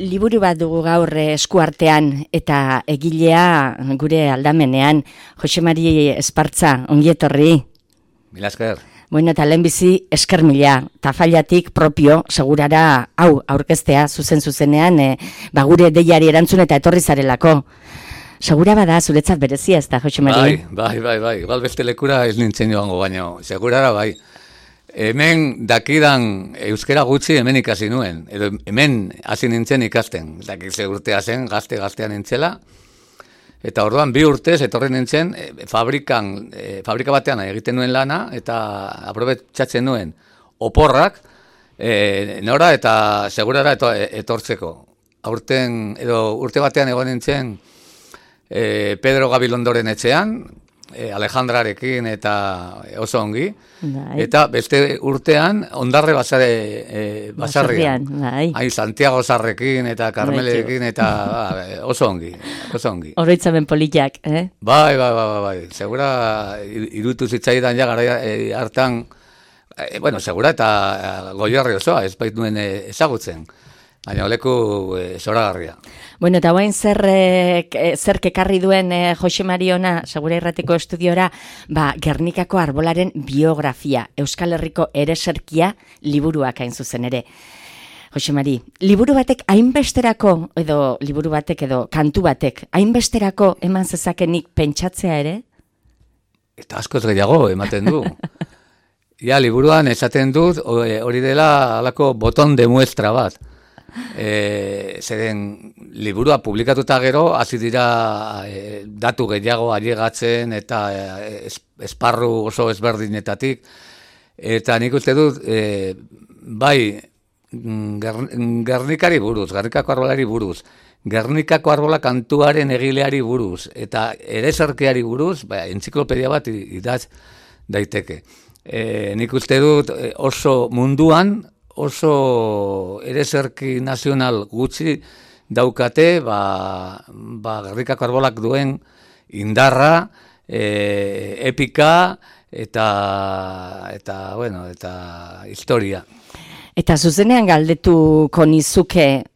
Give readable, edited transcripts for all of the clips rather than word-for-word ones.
Liburu bat dugu gaur eskuartean eta egilea gure aldamenean, Jose Mari Espartza, ongi etorri. Mila esker. Bueno, eta lehenbizi esker mila, tafailatik propio, segurara hau aurkeztea zuzenean, gure deiari erantzun eta etorri zarelako. Segura bada, zuretzat berezia ez da, Jose Mari? Bai. Igual beste lekura ez nintzen joango, baina segurara bai. Hemen dakidan euskera gutxi hemen ikasi nuen, edo hemen hasi nintzen ikasten. Dakize urtea zen, gaztean nintzela, eta orduan 2 urtez etorri nintzen fabrika batean egiten nuen lana, eta aprobetxatzen nuen oporrak, nora eta segurara etortzeko. Aurten, edo urte batean egon nintzen Pedro Gabilondoren etxean, Alejandrarekin eta oso ongi, eta beste urtean Ondarre basarrian, Santiago Sarrekin eta Karmelekin eta oso ongi. Oroitzamen politak, Bai, segura irutu zitzaidan ja gara hartan, segura eta Goierri osoa, ez bait nuen ezagutzen. Baina oleku zoragarria. Bueno, eta guain zer kekarri duen Jose Mari ona, Segura Irratiko estudiora, Gernikako arbolaren biografia, Euskal Herriko ereserkia liburuak hain zuzen ere. Jose Mari, liburu batek hainbesterako, edo kantu batek, hainbesterako eman zezakenik pentsatzea ere? Eta askoz gehiago ematen du. Ja, liburuan esaten dut, hori dela alako boton de muestra bat. Zeren liburua publikatuta gero hasi dira datu gehiago ailegatzen eta esparru oso ezberdinetatik, eta nik uste dut bai Gernikari buruz, Gernikako arbolari buruz, Gernikako arbola kantuaren egileari buruz eta ereserkiari buruz, entziklopedia bat idatz daiteke. Nik uste dut oso munduan oso ereserki nazional gutxi daukate, Gernikako arbolak duen indarra, epika eta historia. Eta zuzenean galdetuko nizuke,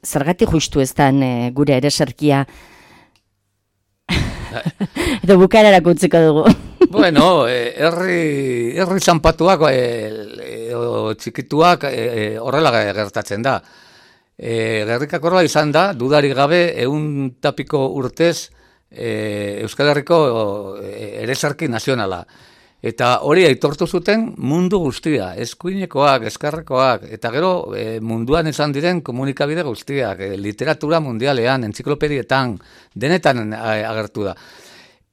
zergatik justu ez den gure ereserkia? Edo bukaerarako utziko dugu. Bueno, herri zanpatuak edo txikituak horrela gertatzen da. Gernikako arbola izan da, dudarik gabe, 100 urtez Euskal Herriko ereserki nazionala. Eta hori aitortu zuten mundu guztia, eskuinekoak, eskarrekoak, eta gero munduan izan diren komunikabide guztiak, literatura mundialean, entziklopedietan, denetan agertu da.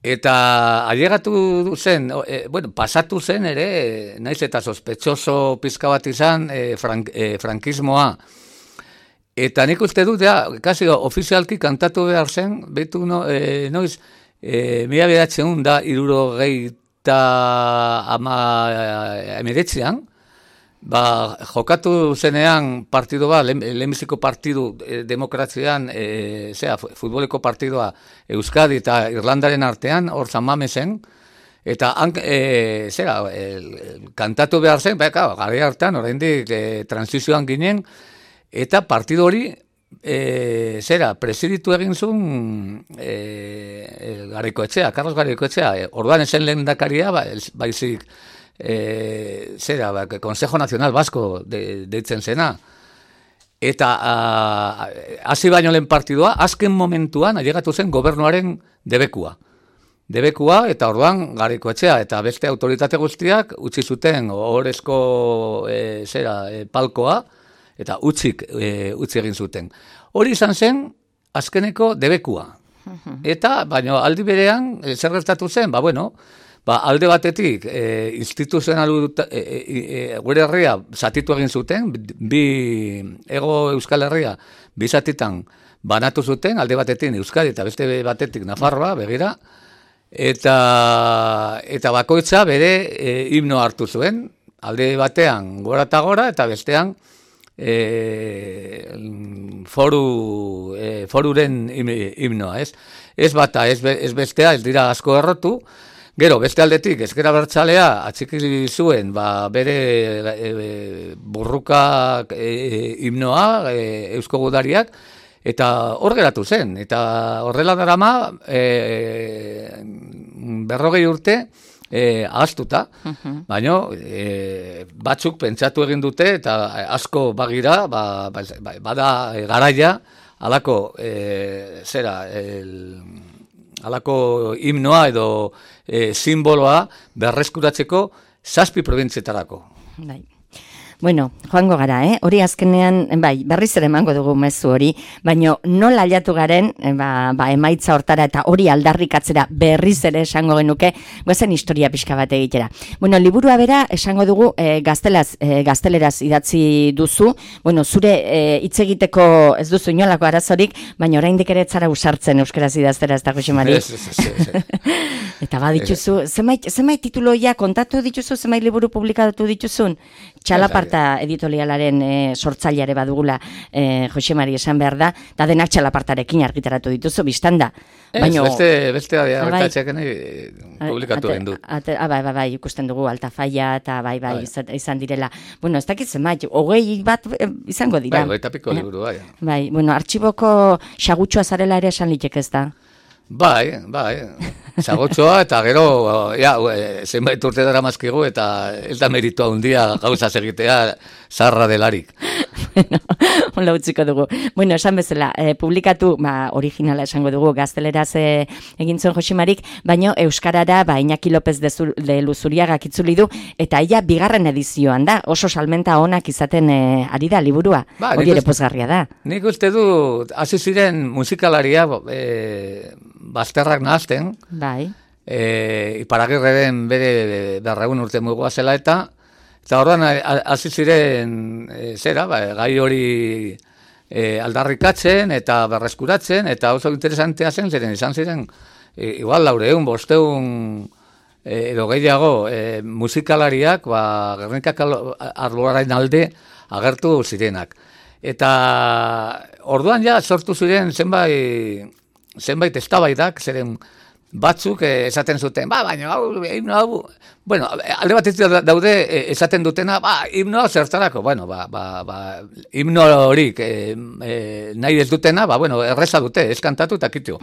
Eta ailegatu zen, pasatu zen ere, naiz eta sospetxoso pizka bat izan frankismoa. Eta nik uste dut, kasi ofizialki kantatu behar zen, behitu noiz, 1979 jokatu zenean partidu bat, lehenbiziko partidu demokrazian, futboleko partidua Euskadi eta Irlandaren artean, hor San Mamesen, eta kantatu behar zen, gari hartan, oraindik transizioan ginen, eta partidu hori, presiditu egin zuen Garikoetxea, Carlos Garikoetxea, orduan esen lehendakaria, baizik, Consejo Nacional Vasco deitzen zena. Eta hasi baino lehen partidua, azken momentuan ailegatu zen gobernuaren debekua, eta orduan Garikoetxea eta beste autoritate guztiak utzi zuten ohorezko palkoa, eta utzi egin zuten. Hori izan zen azkeneko debekua. Eta, baina aldi berean, zer gertatu zen, alde batetik, instituzional gure herria zatitu egin zuten, Hego Euskal Herria bi zatitan banatu zuten, alde batetik Euskadi eta beste batetik Nafarroa, begira, eta bakoitza bere himno hartu zuen, alde batean gora eta gora, eta bestean foruren himnoa, ez bata, ez bestea, ez dira asko errotu, Gero, beste aldetik, ezker abertzalea atxiki zuen, bere burruka himnoa, Eusko Gudariak, eta hor geratu zen. Eta horrela darama, 40 urte, ahaztuta, baina batzuk pentsatu egin dute, eta asko bagira, bada garaia, halako halako himnoa edo simboloa berreskuratzeko 7 probintzietarako. Bai. Bueno, joango gara, hori azkenean, berriz ere emango dugu mezu hori, baina nola aldatu garen, emaitza hortara eta hori aldarrikatzera berriz ere esango genuke, goazen historia pixka bat egitera. Bueno, liburua bera esango dugu gazteleraz idatzi duzu, bueno, zure hitz egiteko ez duzu inolako arazorik, baina oraindik ere etzara usartzen euskaraz idaztera, ez da, Jose Mari? Eta dituzu, zenbait tituloia kontatu dituzu, zenbait liburu publikatu dituzun? Txalaparta editorialaren sortzaileare badugula Jose Mari esan behar da, eta denak txalapartarekin argitaratu dituzu, biztanda. Beste argitatxeak publikatu egin dut. Bai, ikusten dugu, Altafaia, eta bai, izan direla. Bueno, ez dakit zenbait, 20 bat izango dira. Bai, piko liburu, bai. Bai, bueno, artxiboko xagutxoa zarela ere esan litek ez da. Bai, zagotxoa eta gero, zenbait urte dara mazkigu eta ez da meritua handia gauza egitea zarra delarik. Bueno, hola utziko dugu. Bueno, esan bezala, publikatu, originala esango dugu, gazteleraz egin zuen Jose Marik, baina euskarara, Iñaki López de Luzuriagak itzuli du, eta ia bigarren edizioan da, oso salmenta onak izaten ari da liburua, hori ere pozgarria da. Nik uste du, hasi ziren musikalaria, bazterrak nahazten, bai. Iparagirreren bere 200 urte mugoa zela eta orduan hasi ziren gai hori aldarrikatzen eta berreskuratzen, eta oso interesantea zen, izan ziren igual 400, 500 edo gehiago musikalariak Gernikako arbolaren alde agertu zirenak. Eta orduan ja sortu ziren zenbait eztabaidak, zeren batzuk esaten zuten, baina hau, bueno, alde batetik daude esaten dutena, himnoa zertarako, bueno, himno horik nahi ez dutena, bueno, erreza dute, ez kantatu eta kitu.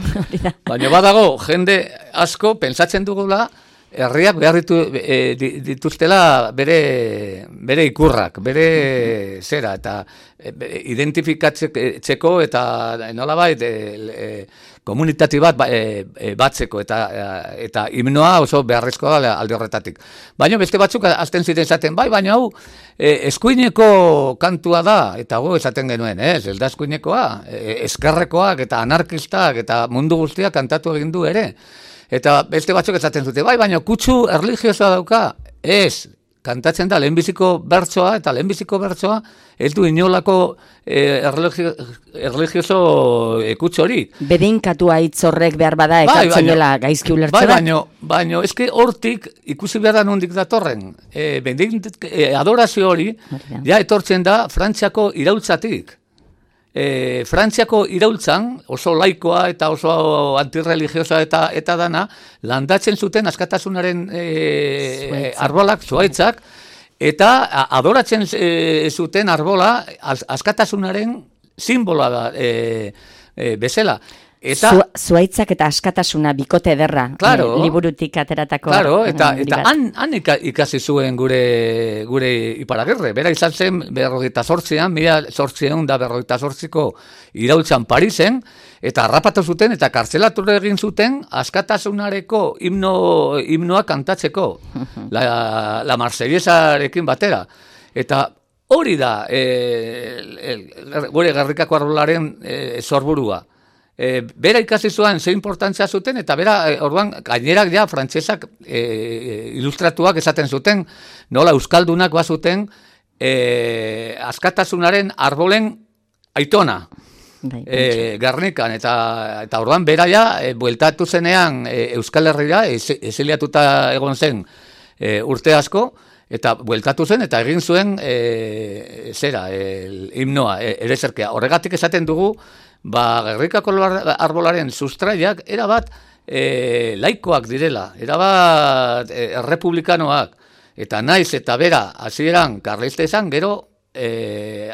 Baina badago, jende asko pentsatzen dugula, herriak behar dituztela bere ikurrak, bere zera, eta identifikatzeko eta nolabait komunitati bat batzeko eta himnoa oso beharrezkoa da alde horretatik. Baina beste batzuk azten ziren esaten, baina hau eskuineko kantua da, eta esaten genuen, ez da eskuinekoa, eskerrekoak eta anarkistak eta mundu guztiak kantatu egin du ere. Eta beste batzuk esaten dute, baina kutsu erlijiosoa dauka, ez, kantatzen da lehenbiziko bertsoa, eta lehenbiziko bertsoa ez du inolako erlijioso kutsu hori. Bedeinkatua hitz horrek behar bada ekartzen dela gaizki ulertzera. Baina, eske hortik ikusi behar da nondik datorren. Adorazio hori, ja etortzen da Frantziako iraultzatik. Frantziako iraultzan, oso laikoa eta oso antirreligiosa eta dana, landatzen zuten askatasunaren arbolak, zuhaitzak, eta adoratzen zuten arbola askatasunaren simboloa da bezala. Zuhaitzak eta askatasuna bikote ederra, liburutik ateratako. Claro, eta han ikasi zuen gure Iparagirre. Bera izan zen 1848ko iraultzan Parisen, eta harrapatu zuten eta kartzelatu egin zuten askatasunareko himnoa kantatzeko, la Marsellesarekin batera. Eta hori da gure Gernikako arbolaren sorburua. Bera ikasi zuen ze importantzia zuten, eta bera orduan gainerak ja frantsesak ilustratuak esaten zuten, nola euskaldunak bazuten askatasunaren arbolen aitona Gernikan, eta orduan bera ja bueltatu zenean Euskal Herrira, exiliatuta egon zen urte asko, eta bueltatu zen, eta egin zuen himnoa, ereserkea. Horregatik esaten dugu, Gernikako arbolaren sustraiak erabat laikoak direla, erabat errepublikanoak, eta naiz eta bera hasieran karlista izan, gero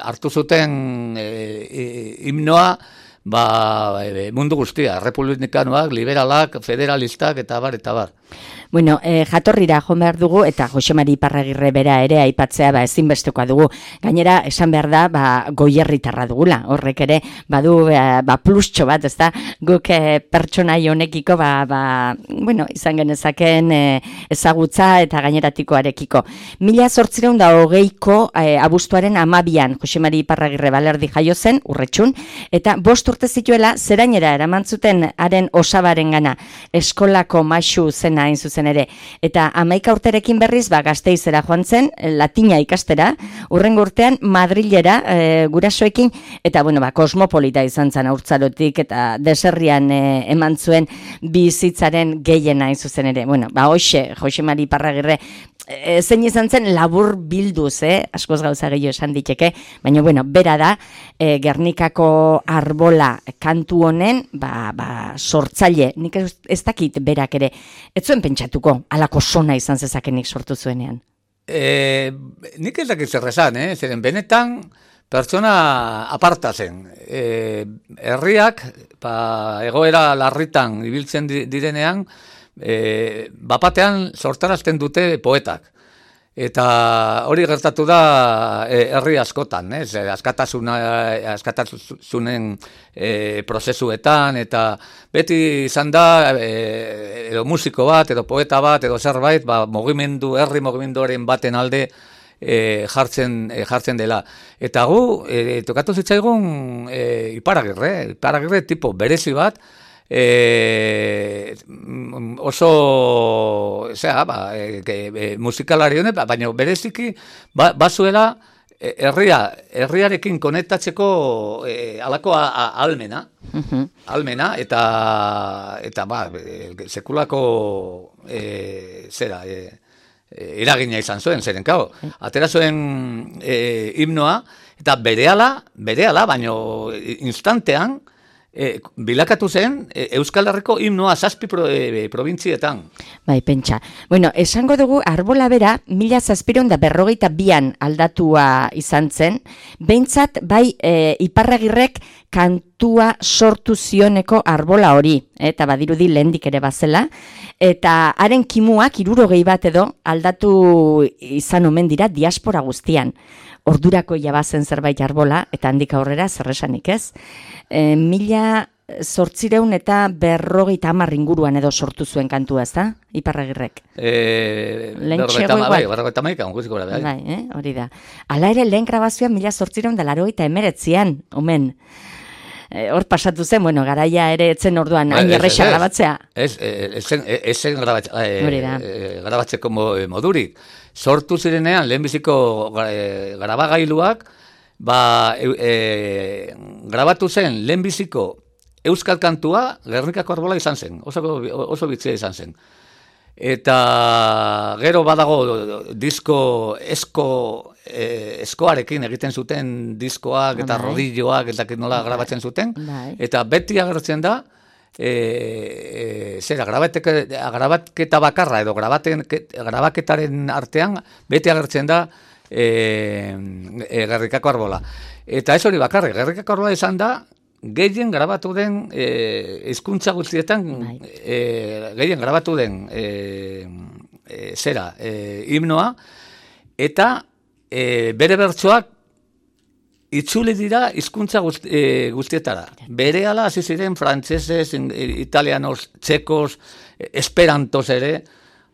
hartu zuten himnoa mundu guztia, republikanoak, liberalak, federalistak, eta bar, eta bar. Bueno, jatorrira joan behar dugu, eta Jose Mari Iparragirre bera ere aipatzea ezinbestekoa dugu. Gainera, esan behar da, goierritarra dugula. Horrek ere, badu plustxo bat, ezta? Guk pertsonai honekiko, bueno, izan genezaken ezagutza eta gaineratikoarekiko. 1820ko abuztuaren 12an Jose Mari Iparragirre Balerdi jaio zen, Urretxun, eta 5 urte zituela zerainera eramantzuten haren osabaren gana, eskolako maixu zena hain zuzen ere. Eta 11 urterekin berriz, Gasteizera joan zen, latina ikastera, hurrengo urtean Madrilera gurasoekin, eta bueno, kosmopolita izan zen haurtzarotik, eta deserrian eman zuen bizitzaren gehiena hain zuzen ere. Bueno, hoxe, Jose Mari Iparragirre, zein izan zen labur bilduz, askoz gauza gehiago esan diteke, baina bueno, bera da, Gernikako arbola kantu honen, sortzaile, nik ez dakit berak ere, ez zuen pentsatuko, alako sona izan zezakenik sortu zuenean. Nik ez dakit zer esan, zeren benetan pertsona aparta zen. Herriak, egoera larritan ibiltzen direnean, bapatean sortarazten dute poetak. Eta hori gertatu da herri askotan, askatasunen prozesuetan, eta beti izan da edo musiko bat, edo poeta bat, edo zerbait, herri mugimenduaren baten alde jartzen dela. Eta gu, tokatu zitzaigun Iparragirre tipo berezi bat, oso musikalari honek, baina bereziki bazuela herriarekin konektatzeko halako almena eta sekulako eragina izan zuen, zeren kao, atera zuen himnoa, eta berehala, baina instantean bilakatu zen Euskal Herriko himnoa 7 probintzietan. Bai, pentsa. Bueno, esango dugu arbola bera 1752an aldatua izan zen, behintzat bai Iparragirrek kantua sortu zioneko arbola hori, eta badirudi lehendik ere bazela, eta haren kimuak 60 bat edo aldatu izan omen dira diaspora guztian. Ordurako jabazen zerbait arbola, eta handik aurrera zerresanik ez. 1850 inguruan edo sortu zuen kantua, ez da? Iparragirrek. Hori da. Hala ere, lehen grabazioan 1889an, omen. Hor pasatu zen, bueno, garaia ere etzen orduan hain erresa grabatzea. Ezen grabatzeko modurik. Sortu zirenean, lehenbiziko grabagailuak, grabatu zen lehenbiziko euskal kantua Gernikako arbola izan zen, oso bitzia izan zen. Eta gero badago disko eskoarekin egiten zuten diskoak eta rodilloak eta nola grabatzen zuten, eta beti agertzen da grabaketa bakarra edo grabaketaren artean beti agertzen da Gernikako arbola. Eta ez hori bakarrik, Gernikako arbola izan da gehien grabatu den hizkuntza guztietan gehien grabatu den himnoa, eta bere bertsoak itzuli dira hizkuntza guztietara. Berehala hasi ziren frantsesez, italianos, txekos, esperantos ere.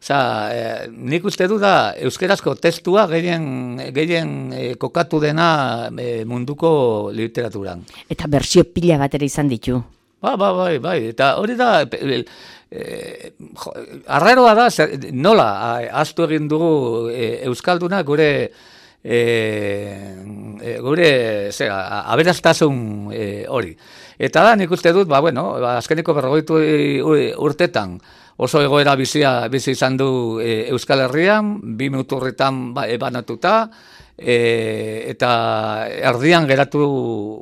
Nik uste du da euskerazko testua gehien kokatu dena munduko literaturan. Eta bersio pila bat ere izan ditu. Bai, eta hori da arraroa da, nola ahaztu egin dugu euskalduna gure aberastasun hori. Eta da, nik uste dut, azkeneko 40 urtetan, oso egoera bizi izan du Euskal Herrian, 2 muturretan banatuta, eta erdian geratu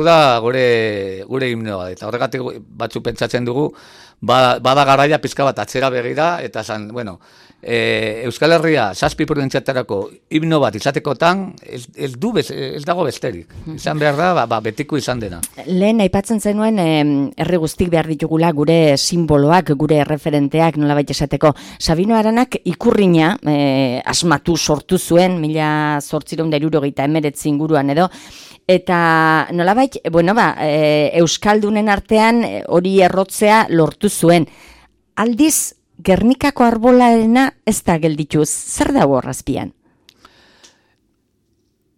da gure himnoa. Eta horregatik batzu pentsatzen dugu, bada garaia pizka bat atzera begira, eta esan, bueno, Euskal Herria 7 probintziatarako himno bat izatekotan ez dago besterik. Izan behar da, betiko izan dena. Lehen aipatzen zenuen herri guztik behar ditugula gure simboloak, gure referenteak nolabait esateko. Sabino Aranak ikurrina asmatu sortu zuen 1879 inguruan edo, eta nolabait, Euskaldunen artean hori errotzea lortu zuen. Aldiz, Gernikako arbolarena ez da gelditu, zer dago horrazpian?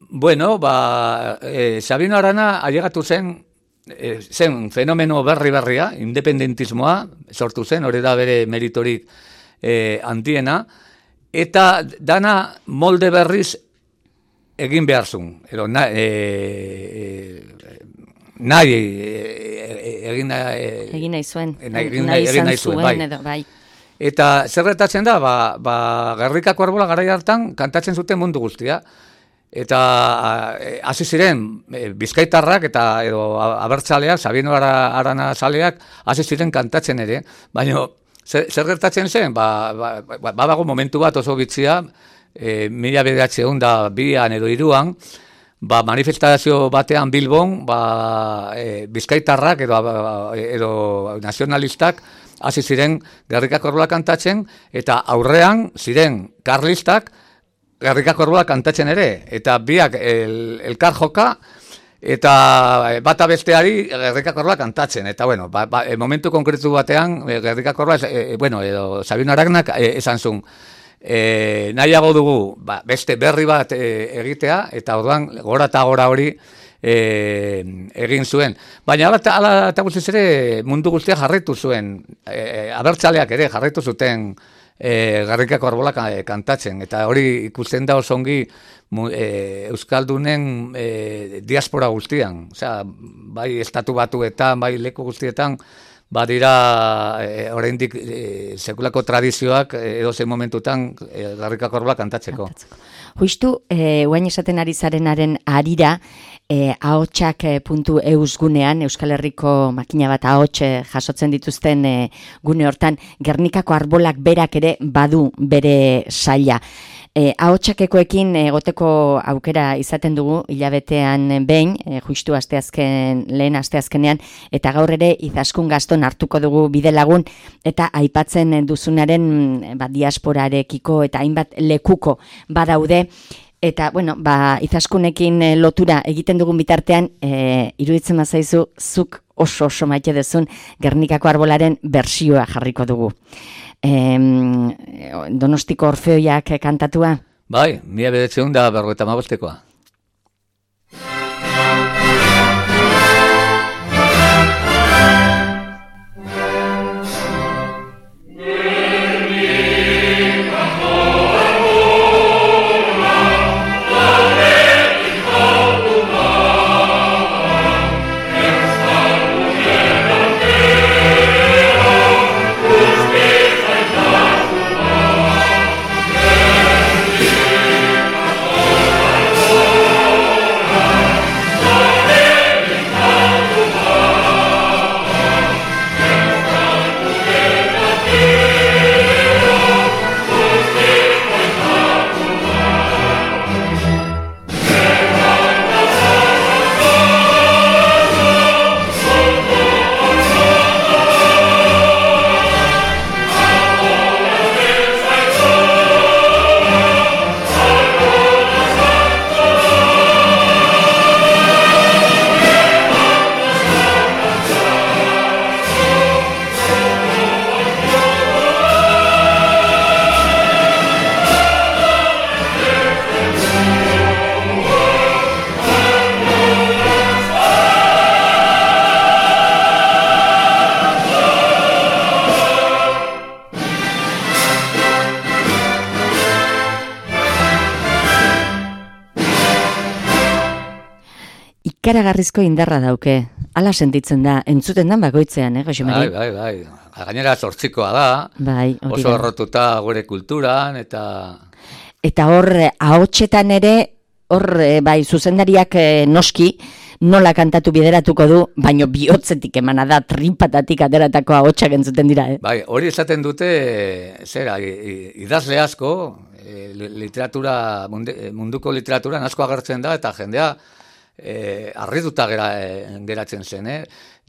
Bueno, Sabino Arana ailegatu zen fenomeno berria, independentismoa sortu zen, hori da bere meritorik handiena, eta dana molde berriz egin behar zuen, egin nahi zuen, bai. Eta zer gertatzen da, Gernikako arbola garai hartan kantatzen zuten mundu guztia. Eta hasi ziren bizkaitarrak edo abertzaleak, Sabino Arana zaleak, hasi ziren kantatzen ere. Baina zer gertatzen zen? Badago momentu bat oso bitxia, 1902an edo 3an, manifestazio batean Bilbon, bizkaitarrak edo nazionalistak hasi ziren Gernikako arbola kantatzen, eta aurrean ziren karlistak Gernikako arbola kantatzen ere, eta biak elkar joka, eta bata besteari Gernikako arbola kantatzen, eta momentu konkretu batean Gernikako arbola, edo Sabino Aranak esan zuen, nahiago dugu beste berri bat egitea, eta orduan gora eta gora hori egin zuen. Baina ala eta guztiz ere mundu guztia jarraitu zuen, abertzaleak ere jarraitu zuten Gernikako arbola kantatzen, eta hori ikusten da oso ongi Euskaldunen diaspora guztian, osea, bai estatu batuetan, bai leku guztietan, badira oraindik sekulako tradizioak edozein momentutan Gernikako arbola kantatzeko. Justu, guain esaten ari zarenaren harira, ahotsak.eus gunean, Euskal Herriko makina bat ahots jasotzen dituzten gune hortan, Gernikako arbolak berak ere badu bere saila. Ahotsakekoekin egoteko aukera izaten dugu hilabetean behin, justu lehen asteazkenean, eta gaur ere Izaskun Gaston hartuko dugu bidelagun, eta aipatzen duzunaren diasporarekiko eta hainbat lekuko badaude, eta Izaskunekin lotura egiten dugun bitartean, iruditzen bazaizu zuk oso maite duzun Gernikako arbolaren bertsioa jarriko dugu. Donostiko Orfeoiak kantatua? Bai, 1955. ikaragarrizko indarra dauke. Hala sentitzen da, entzuten dan bakoitzean, Jose Mari? Bai. Gainera sortzikoa da, bai, oso errotuta gure kulturan, Eta hor, ahotsetan ere, hor, bai, zuzendariak noski, nola kantatu bideratuko du, baino bihotzetik emana da, tripatatik ateratako ahotsak entzuten dira. Bai, hori esaten dute, idazle asko, literatura, munduko literaturan asko agertzen da, eta jendea harrituta geratzen zen.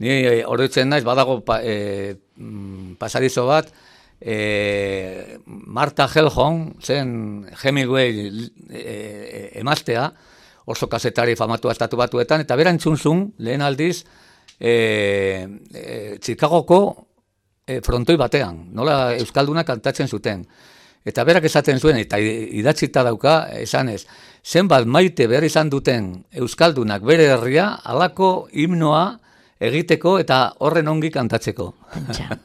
Ni oroitzen naiz, badago pasadizo bat, Martha Gellhorn zen Hemingway emaztea, oso kazetari famatua estatu batuetan, eta bera entzunzun, lehen aldiz, Chicagoko frontoi batean, nola euskalduna kantatzen zuten. Eta berak esaten zuen, eta idatzita dauka, esanez, zenbat maite behar izan duten euskaldunak bere herria, halako himnoa egiteko eta horren ongi kantatzeko.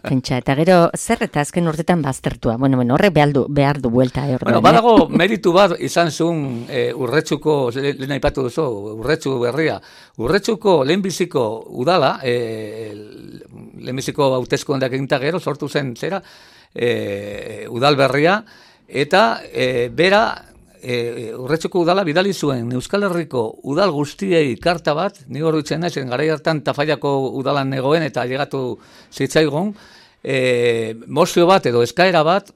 Pentsa, eta gero zer eta azken urtetan baztertua. Bueno, horrek behar du buelta. Badago meritu bat izan zuen Urretxuko, lehen aipatu duzu, Urretxu berria. Urretxuko lehenbiziko udala, lehenbiziko hauteskundeak eginta gero, sortu zen zera, udal berria, eta bera, Urretxuko udala bidali zuen Euskal Herriko udal guztiei karta bat, ni oroitzen naizen garai hartan Tafallako udalan negoen eta llegatu zitzaigun, mozio bat edo eskaera bat,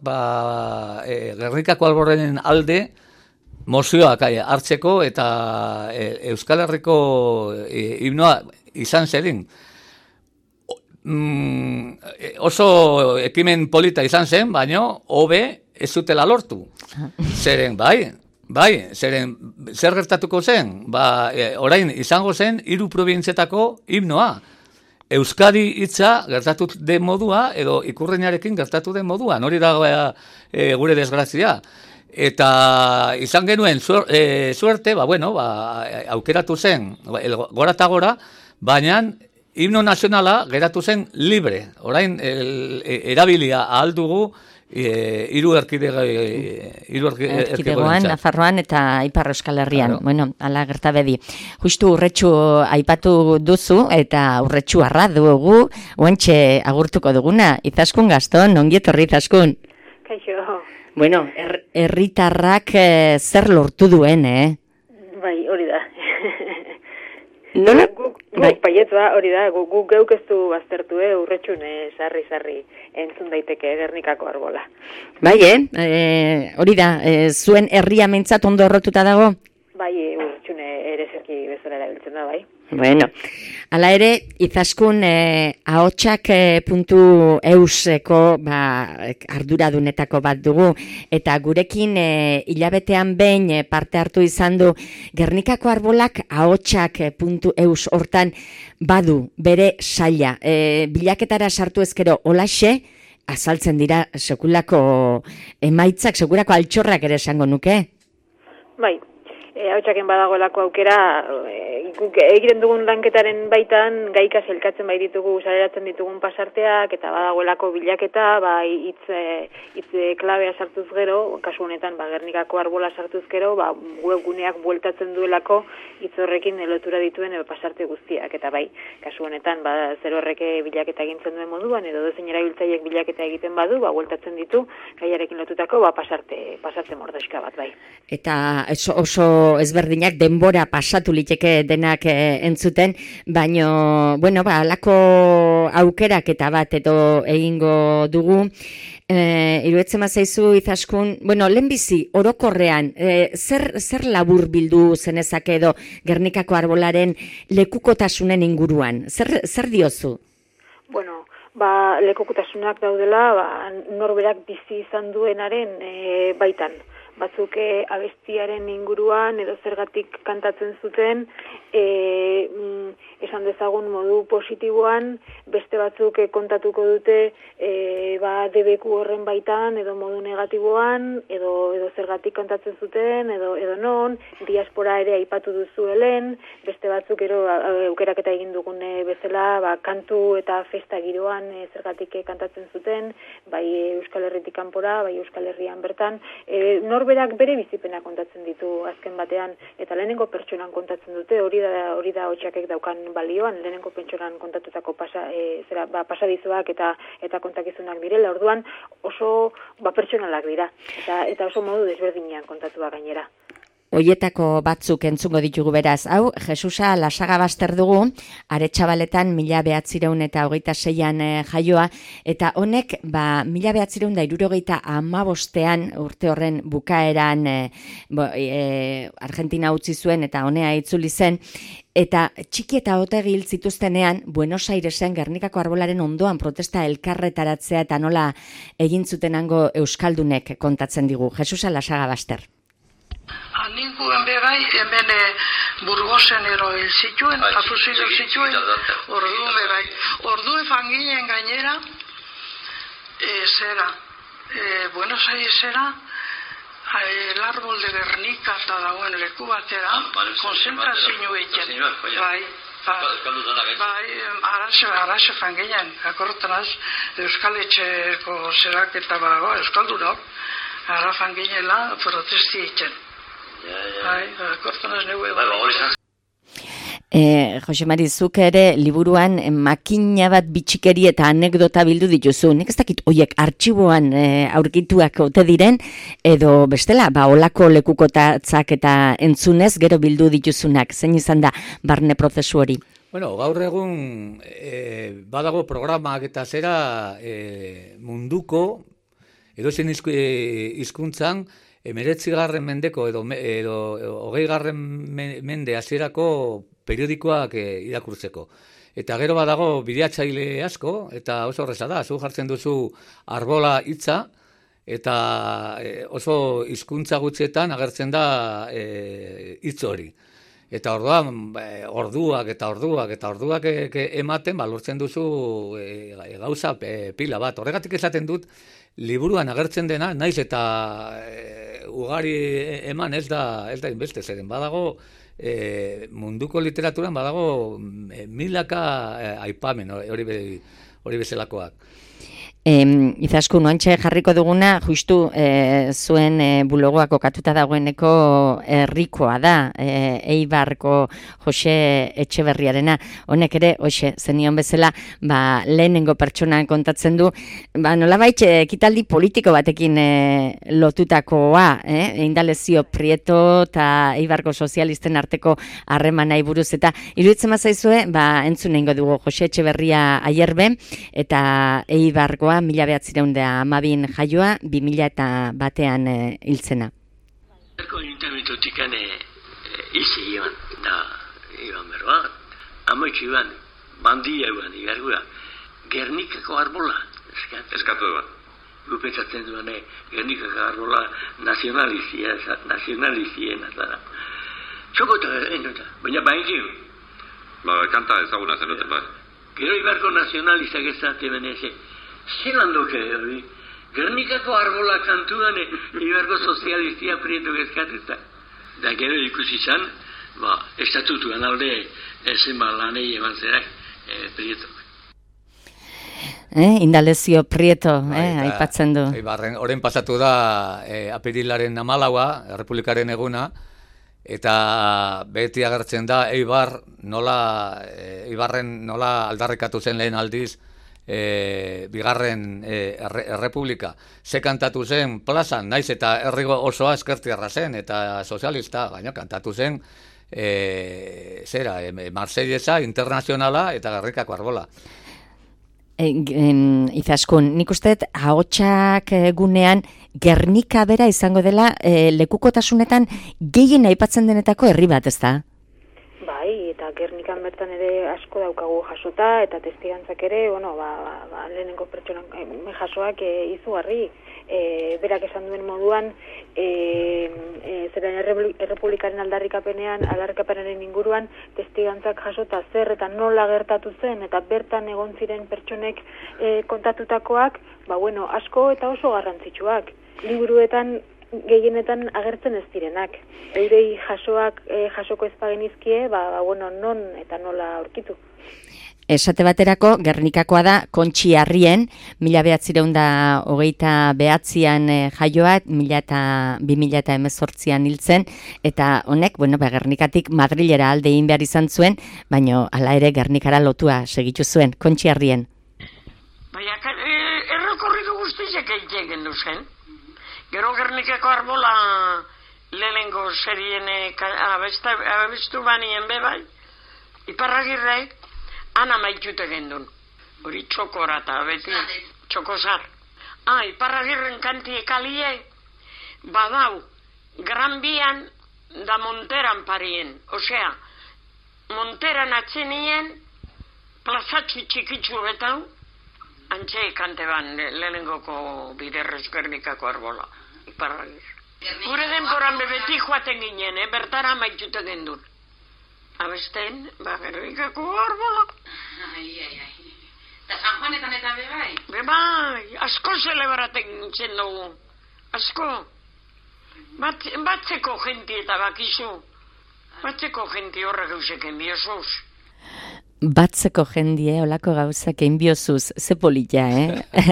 Gernikako Alborren alde mozioak hartzeko eta Euskal Herriko himnoa izan zedin. Oso ekimen polita izan zen, baina hobe ez zutela lortu. Zeren, zeren, zer gertatuko zen? Orain izango zen 3 probintzetako himnoa. Euskadi hitza gertatu den modua, edo ikurreinarekin gertatu den modua. Hori da gure desgrazia. Eta izan genuen suerte, aukeratu zen, gora eta gora, baina himno nazionala geratu zen libre. Orain erabilia ahal dugu, hiru erkidegoan, Nafarroan eta Ipar Euskal Herrian. Claro. Bueno, ala gertabedi. Justu Urretxu aipatu duzu eta Urretxu arra dugu, oantxe agurtuko duguna. Izaskun Gaston, ongi etorri Izaskun. Kaixo. Bueno, herritarrak zer lortu duen, Bai, hori da. Nola? Guk paietza hori da, guk geuk ez du baztertu, Urretxune sarri entzun daiteke Gernikako arbola. Bai, hori da, zuen herria mentzat ondo errotuta dago? Bai, Urretxune ere zerki bezala erabiltzen da, bai. Bueno, hala ere, Izaskun ahotsak.euseko arduradunetako bat dugu, eta gurekin hilabetean behin parte hartu izan du Gernikako arbolak ahotsak.eus hortan badu bere saila. Bilaketara sartu ezkero olaxe, azaltzen dira sekulako emaitzak, sekulako altxorrak ere esango nuke? Bai. Ahotsaken badagoelako aukera, egiten dugun lanketaren baitan, gaika zelkatzen bai ditugu, saleratzen ditugun pasarteak, eta badagoelako bilaketa, hitz klabea sartuz gero, kasu honetan, Gernikako arbola sartuz gero, webguneak bueltatzen duelako hitz horrekin lotura dituen pasarte guztiak, eta bai, kasu honetan, zer horreke bilaketa egintzen duen moduan, edo dozein erabiltzaileek bilaketa egiten badu, bueltatzen ditu, gaiarekin lotutako, pasarte mordoxka bat, bai. Eta oso ezberdinak denbora pasatu liteke denak entzuten, baino, alako aukerak eta bat edo egingo dugu. Iruetzen mazaizu Izaskun, lehenbizi, orokorrean, zer labur bildu zenezake edo Gernikako arbolaren lekukotasunen inguruan? Zer diozu? Lekukotasunak daudela, norberak bizi izan duenaren baitan. Batzuk abestiaren inguruan edo zergatik kantatzen zuten, esan dezagun modu positiboan, beste batzuk kontatuko dute debeku horren baitan edo modu negatiboan, edo zergatik kantatzen zuten, edo non, diaspora ere aipatu duzu helen, beste batzuk aukeraketa egin dugun bezala, kantu eta festa giroan zergatik kantatzen zuten, bai Euskal Herritik kanpora, bai Euskal Herrian bertan, norberak bere bizipena kontatzen ditu azken batean, eta lehenengo pertsonan kontatzen dute, hori da Hotxakek daukan balioan, lehenengo pertsonan kontatutako pasadizoak eta kontakizunak direla, orduan oso pertsonalak dira, eta oso modu desberdinean kontatua gainera. Hoietako batzuk entzungo ditugu beraz. Hau, Jesusa Lasagabaster dugu, Aretxabaletan 1926an jaioa, eta honek 1975an urte horren bukaeran Argentina utzi zuen eta honea itzuli zen, eta txiki eta otegi hil zituztenean Buenos Airesen Gernikako arbolaren ondoan protesta elkarretaratzea eta nola egin zuten hango euskaldunek kontatzen digu. Jesusa Lasagabaster. Ninguen bebai, hemen Burgosen hil zituen, afusio zituen, orduen bebai. Orduen fanginen gainera, Buenos Airesera, el árbol de Gernika eta dagoen leku batera, konzentrazio egiten. Araxe fanginen, akortanaz, Euskal Etxeko zerak eta Euskaldunok, ara fanginela protesti egiten. Jose Mari, zuk ere liburuan makina bat bitxikeri eta anekdota bildu dituzu. Nik ez dakit hoiek artxiboan aurkituak ote diren, edo bestela, olako lekukotatzak eta entzunez gero bildu dituzunak. Zein izan da barne prozesu hori? Bueno, gaur egun badago programak eta zera munduko edozein hizkuntzan 19. mendeko edo 20. mende hasierako periodikoak irakurtzeko. Eta gero badago bideatzaile asko, eta oso horreza da, zu jartzen duzu arbola hitza, eta oso hizkuntza gutxietan agertzen da hitz hori. Eta orduan, orduak ematen, lortzen duzu gauza pila bat. Horregatik esaten dut, liburuan agertzen dena, naiz eta ugari eman ez da inbeste, zeren badago munduko literaturan badago milaka aipamen hori bezalakoak. Izaskun, oantxe jarriko duguna, justu zuen bulogoa kokatuta dagoeneko herrikoa da, Eibarko Jose Etxeberriarena. Honek ere, zenion bezala, lehenengo pertsonan kontatzen du, nolabait ekitaldi politiko batekin lotutakoa, Indalezio Prieto eta Eibarko sozialisten arteko harremanai buruz, eta iruditzen mazaizue, entzun egingo dugu Jose Etxeberria Aierbe, eta Eibarkoa 1912 jaioa, 2001an hiltzena. Ayuntamientotik izi iban, iban berba, amoitxu iban, bandia iban, igargura, Gernikako arbola, eskatu bat. Gupetzatzen duan, Gernikako arbola nazionalizien azara. Txokota, baina bainzio. Kanta ezaguna zenuten, Gero Ibarko nazionalizak ezate beneze, zelan doke hori, Gernikako arbola kantuan Ibarko sozialistia Prieto gezkatezta. Da gero ikusi zan, estatutuan alde zenba lanei eman zerak Prieto. Indalezio Prieto, aipatzen du. Horren pasatu da apirilaren 14, Errepublikaren eguna, eta beti agertzen da Eibarren nola aldarrikatu zen lehen aldiz bigarren errepublika. Ze kantatu zen plazan, naiz eta herrigo osoa eskertiarra zen, eta sozialista, baina kantatu zen Marsellesa, internazionala eta Gernikako arbola. Izaskun, nik usteet ahotsak gunean Gernika bera izango dela lekukotasunetan gehien aipatzen denetako herri bat, ez da? Bai, eta Gernikan bertan ere asko daukagu jasota, eta testigantzak ere, lehenengo pertsonan jasoak izugarri, berak esan duen moduan, zeren errepublikaren aldarrikapenaren inguruan, testigantzak jasota zer eta nola gertatu zen, eta bertan egon ziren pertsonek kontatutakoak, asko eta oso garrantzitsuak. Liburuetan gehienetan agertzen ez direnak. Eurei jasoko ez pagenizkie, non eta nola aurkitu. esate baterako, Gernikakoa da Kontxi Arrien, 1929an jaioa, 2018an hiltzen, eta honek, Gernikatik Madrilera alde egin behar izan zuen, baino hala ere Gernikara lotua segitu zuen, Kontxi Arrien. Baina, errekorridu guztizek egiten duzen. Gero Gernikako arbola lehenengo serien abestu banien bebai, Iparragirrek ana maitute gendun. Hori txokora eta beti txokosar. Iparragirren kantiek alie, badau, Gran Bian da Monteran parien. Osea, Monteran atzenien, plazatxi txikitzu betau, antxe kante ban lehenengoko biderrez Gernikako arbola, Iparragir. Gure denboran bebeti joaten ginen, bertara maitute gendun. Abesten, Gernikako arbola. Eta San Juanetan eta bebai? Bebai, asko zelebraten zen dugu. Asko. Batzeko jenti eta bakizu. Batzeko jenti horrek euseken biosuz. Batzeko jendie, olako gauzak einbiozuz, ze polita,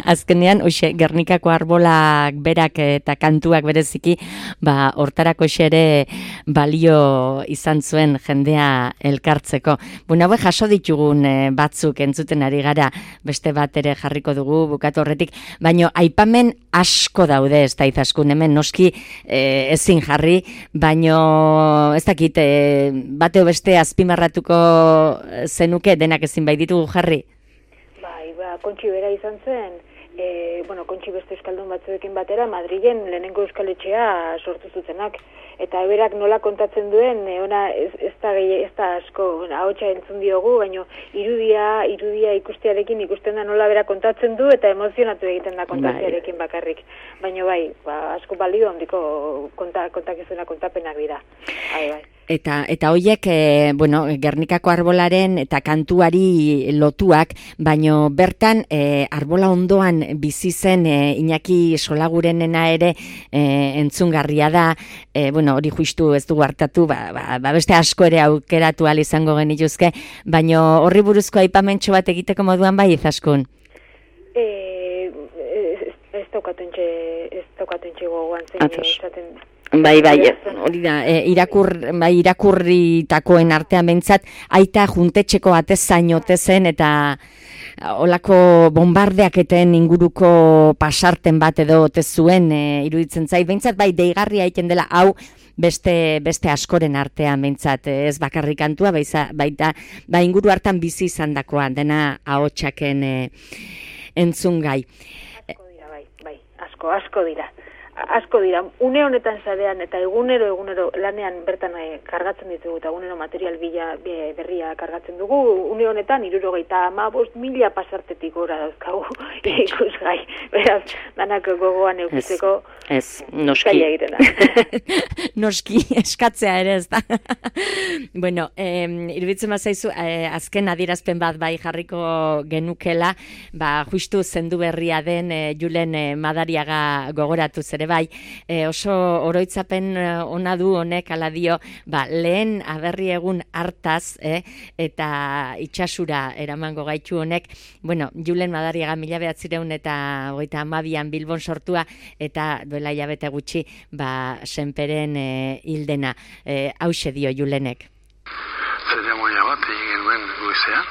Azkenean, Gernikako arbolak berak eta kantuak bereziki, hortarako xere balio izan zuen jendea elkartzeko. Hau jaso ditugun batzuk entzuten ari gara, beste bat ere jarriko dugu bukatu horretik, baino aipamen asko daude, ez da izaskun, hemen noski ezin jarri, baino ez dakit, bateo beste azpimarratuko zenuke denak ezin bai ditugu jarri? Bai, Kontxi bera izan zen, Kontxi beste euskaldun batzuekin batera, Madrilen lehenengo euskaletxea sortu zutenak. Eta berak nola kontatzen duen, ez da asko, ahotsa entzun diogu, baina irudia ikustearekin ikusten da nola bera kontatzen du, eta emozionatu egiten da kontatzearekin bakarrik. Baina bai, asko balio handiko kontakizuna kontapenak dira. Bai. Eta hoiek, Gernikako arbolaren eta kantuari lotuak, baino bertan arbola ondoan bizi zen Iñaki Solagurenena ere entzungarria da, hori justu ez dugu hartatu, beste asko ere aukeratu ahal izango genituzke, baino horri buruzko aipamentxo bat egiteko moduan bai izaskun? Ez daukatentxe gogoan zein esaten... Bai, hori da, irakurritakoen artean behintzat, aita juntetxeko atezain otezen eta olako bombardeaketen inguruko pasarten bat edo otezuen iruditzen zait, behintzat bai deigarria egiten dela hau beste askoren artean behintzat, ez bakarrik kantua, baita inguru hartan bizi izan dakoan, dena ahotsaken entzungai. Asko dira. Asko dira, une honetan zarean eta egunero lanean bertan kargatzen ditugu eta egunero material berria kargatzen dugu, une honetan 75,000 pasartetik gora dauzkagu ikusgai, beraz, danak gogoan eukitzeko noski noski, eskatzea ere ez da. Iruditzen bazaizu, azken adierazpen bat bai jarriko genukela, justu zendu berria den Julen Madariaga gogoratuz ere bai, oso oroitzapen ona du honek ala dio, lehen aberri egun hartaz, eta itxasura eramango gaitu honek, Julen Madariaga 1932an Bilbon sortua, eta duela hilabete gutxi, senperen hildena. Hauxe dio Julenek. Zeremonia bat egin genuen goizean,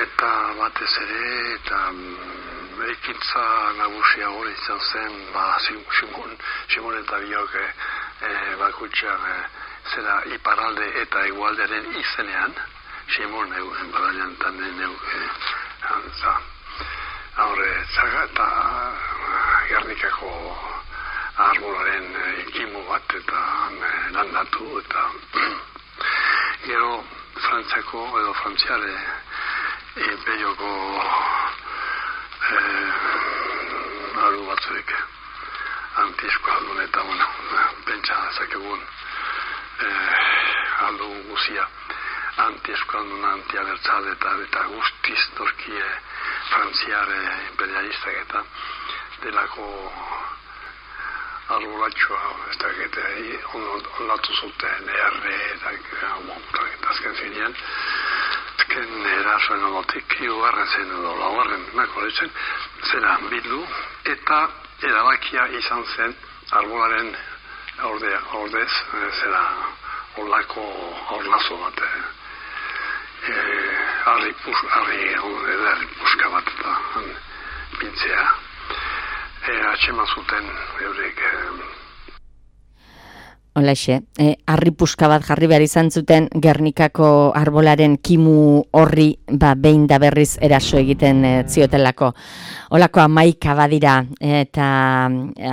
eta batez ere, eta ekintza nagusia hori izan zen, Simon eta biok bakutxan zera iparalde eta egualderen izenean, Simon badailan tanen zaga eta Gernikako arbolaren ekimu bat eta landatu eta gero Frantziako edo Frantziare imperioko alu batzuek anti-eskualdun eta pentsa zakegun aldun guzia anti-eskualdun, anti-abertzale eta guztiz torkie frantziare imperialistak eta delako arbolatxoa ez da ondatu zuten erre eta azken finean azken erasoen ondotik, hirugarren zen edo laugarren nakoletzen, zera bildu, eta erabakia izan zen arbolaren ordez, zera olako orlazo bat, harri puska bat eta pintzea. Atxema zuten eurek. Holaxe, harri puska bat jarri behar izan zuten Gernikako arbolaren kimu horri behin da berriz eraso egiten ziotelako. Holako 11 badira eta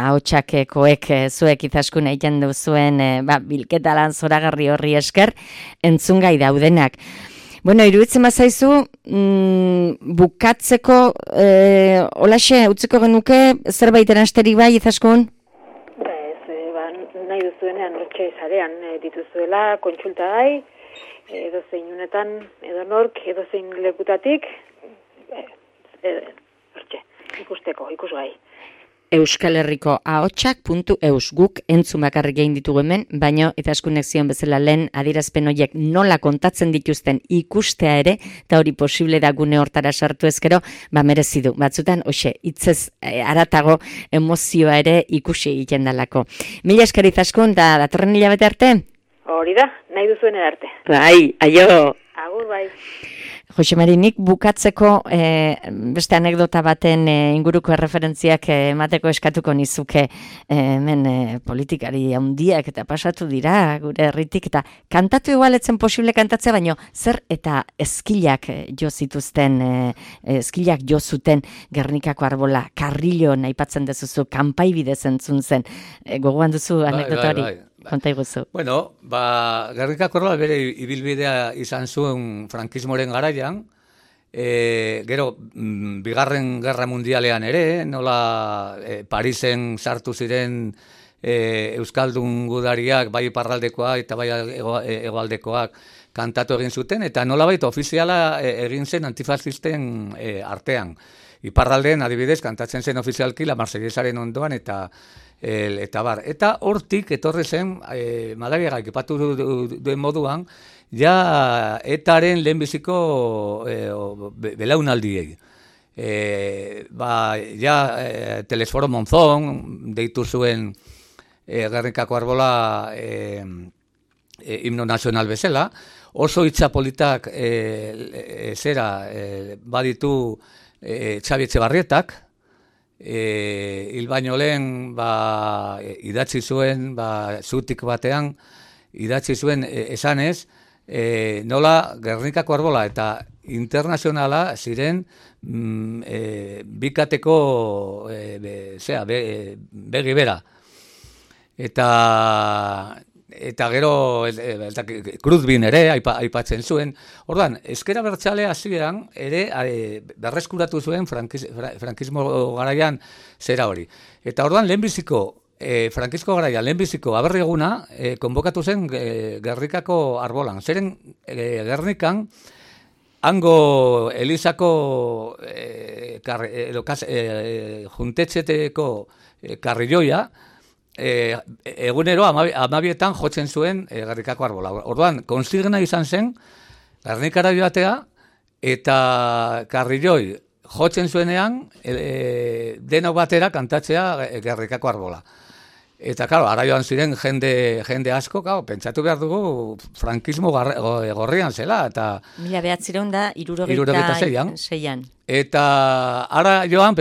ahotsakekoek zuek izaskun egiten duzuen bilketa lan zoragarri horri esker entzungai daudenak. Bueno, iruditzen bazaizu, bukatzeko, holaxe, utziko genuke, zerbait erasterik bai, izaskun? Nahi duzuenean hortxe zarean dituzuela, kontsulta gai, edozein unetan, edonork, edozein lekutatik, hortxe, ikusgai. Euskal Herriko ahotsak.eus guk entzun bakarrik egin ditugu hemen, baino itaskunek zion bezala lehen adierazpen horiek nola kontatzen dituzten ikustea ere, eta hori posible da gune hortara sartu ezkero, merezi du. Batzutan, hitzez haratago emozioa ere ikusi egiten dalako. Mila esker Izaskun, da datorren hilabete arte? Hori da, nahi duzuen arte. Bai, aio! Agur, bai. Jose Mari, nik bukatzeko beste anekdota baten inguruko erreferentziak emateko eskatuko nizuke hemen politikari handiak eta pasatu dira gure herritik eta kantatu igualetzen posible kantatzea, baino zer eta eskilak jo zituzten, eskilak jo zuten Gernikako arbola, Karrilon aipatzen dezuzu, kanpai bidez entzun zen. Gogoan duzu anekdota hori? Konta iguzu. Bueno, Gernikako arbola bere ibilbidea izan zuen frankismoren garaian, gero, bigarren gerra mundialean ere, nola Parisen sartu ziren euskaldun gudariak, bai iparraldekoak eta bai hegoaldekoak kantatu egin zuten, eta nolabait ofiziala egin zen antifascisten artean. Iparraldeen adibidez kantatzen zen ofizialki la Marsellesaren ondoan eta bar. Eta hortik etorri zen, Madariagak ipatu duen moduan, ja etaren lehenbiziko belaunaldiei. Telesforo Monzón deitu zuen Gernikako arbola himno nazional bezala, oso itxapolitak baditu Xabi Etxebarrietak, hil baino lehen idatzi zuen, zutik batean, idatzi zuen esanez, nola Gernikako arbola eta internazionala ziren bikateko begi bera. Eta gero Cruzbin ere aipatzen zuen. Orduan, ezker abertzale hasieran ere berreskuratu zuen frankismo garaian zera hori. Eta orduan lehenbiziko frankismo garaian lehenbiziko aberri eguna konbokatu zen Gernikako arbolan. Zeren Gernikan hango Elizako juntetxeteko karrilloia egunero 12etan jotzen zuen Gernikako arbola. Orduan, konsigna izan zen Gernikara joatea eta karrilloi jotzen zuenean denok batera kantatzea Gernikako arbola. Eta, klaro, ara joan ziren jende asko, pentsatu behar dugu frankismo gorrian zela. 1976an. Eta ara joan,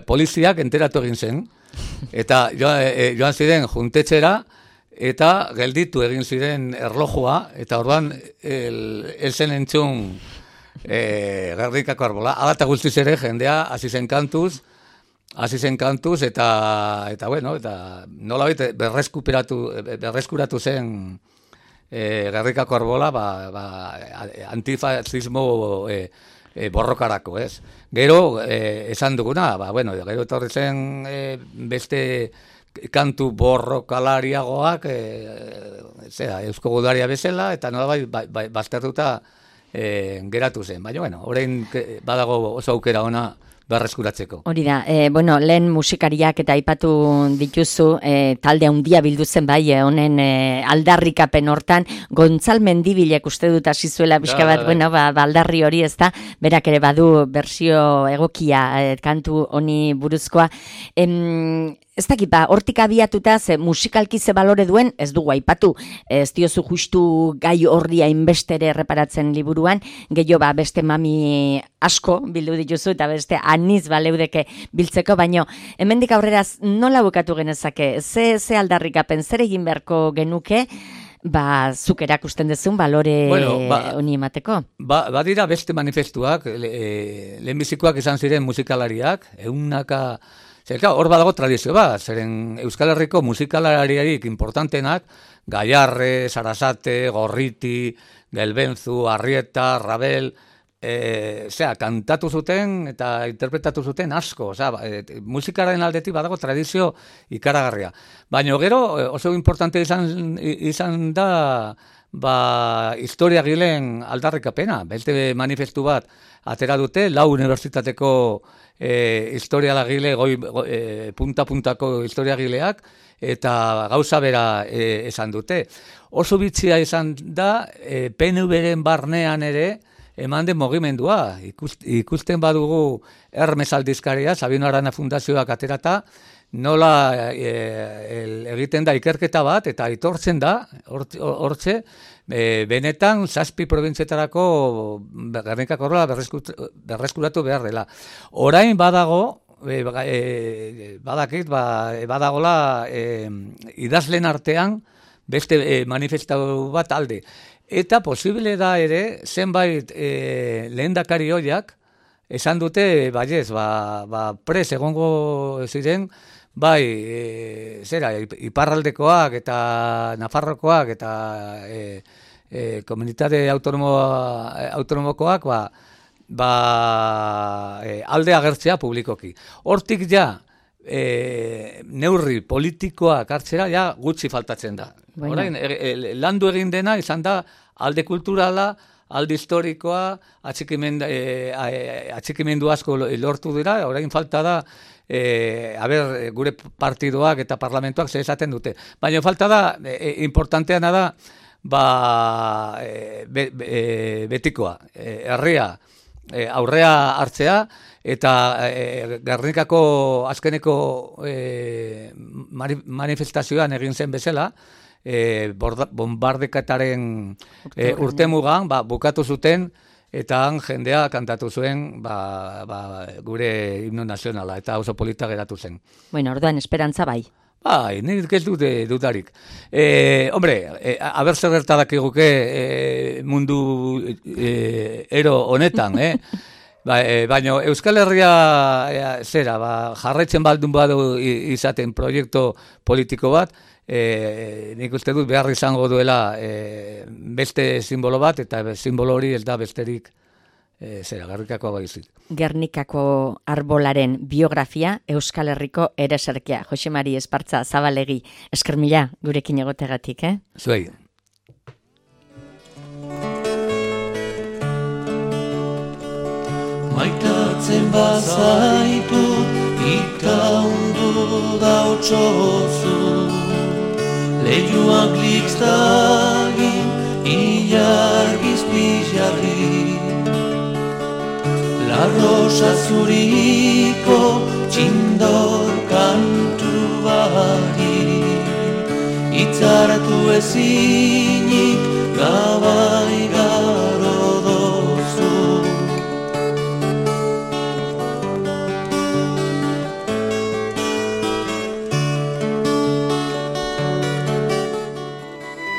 poliziak enteratu egin zen. Eta joan ziren juntetxera eta gelditu egin ziren erlojua, eta orduan elzen entzun Gernikako arbola. Agata guztiz ere jendea hasi zen kantuz, eta bueno, eta nolabait berreskuratu zen Gernikako arbola antifascismo borrokarako, ez? Gero, esan duguna, gero etorri zen beste kantu borrokalariagoak, Eusko Gudaria bezala, eta nolabait baztertuta geratu zen. Baina, orain badago oso aukera ona berreskuratzeko. Hori da, bueno, lehen musikariak eta aipatu dituzu, talde handia bildu zen bai, honen aldarrikapen hortan, Gontzal Mendibilek uste dut hasi zuela pixka bat, bueno, aldarri hori ez da, berak ere badu bersio egokia kantu honi buruzkoa. Ez dakit, hortik abiatuta, ze musikalki ze balore duen, ez dugu aipatu, ez diozu justu gai horri hainbestere erreparatzen liburuan, gehiago beste mami asko bildu dituzu, eta beste aniz baleudeke biltzeko, baino, hemendik aurrera nola bukatu genezake, ze aldarrikapen, zer egin beharko genuke, zuk erakusten dezun balore honi emateko? Badira beste manifestuak, lehenbizikoak izan ziren musikalariak, eunaka... Hor badago tradizio bat, zeren Euskal Herriko musikalariarik importantenak, Gaiarre, Sarasate, Gorriti, Gelbenzu, Arrieta, Rabel, kantatu zuten eta interpretatu zuten asko, musikaren aldetik badago tradizio ikaragarria. Baina gero oso importante izan da historiagileen aldarrikapena, beste manifestu bat atera dute, 4 unibertsitateko historiagile, punta-puntako historiagileak, eta gauza bera esan dute. Oso bitxia izan da, PNV-ren barnean ere, eman den mugimendua. Ikusten badugu Hermes aldizkaria, Sabino Arana Fundazioak aterata, nola egiten da ikerketa bat, eta aitortzen da, hortxe, benetan 7 probintzetarako Gernikako horrela berreskuratu behar dela. Orain badago, badagola idazlen artean beste manifestatu bat alde. Eta posible da ere, zenbait lehendakari hoiak, esan dute, baiez, pres egongo ziren, iparraldekoak eta Nafarrokoak eta komunitate autonomokoak alde agertzea publikoki. Hortik ja, neurri politikoak hartzera ja gutxi faltatzen da. Orain, landu egin dena izan da alde kulturala, alde historikoa, atxikimendu asko lortu dira, orain falta da gure partidoak eta parlamentuak zer esaten dute. Baina falta da, importanteana da, betikoa, herria, aurrea hartzea, eta Gernikako azkeneko manifestazioan egin zen bezala, bombardekataren urtemugan bukatu zuten, eta han jendea kantatu zuen gure himno nazionala, eta oso polita geratu zen. Bueno, orduan, esperantza bai. Nik ez dute dudarik. Hombre, aber zer gertadak eguke mundu ero honetan, baina Euskal Herria jarraitzen baldun badu izaten proiektu politiko bat, nik uste dut behar izango duela beste simbolo bat, eta simbolo hori ez da besterik Gernikako baizik. Gernikako arbolaren biografia Euskal Herriko ereserkia. Jose Mari Espartza Zabalegi, esker mila gurekin egotegatik, Zuei. Maitatzen bazaitut itaundu dautsozu, lehiuak likstagin ilargiz pixarri, la rosa zuriko txindor kantu bari, itzartu ezinik gabai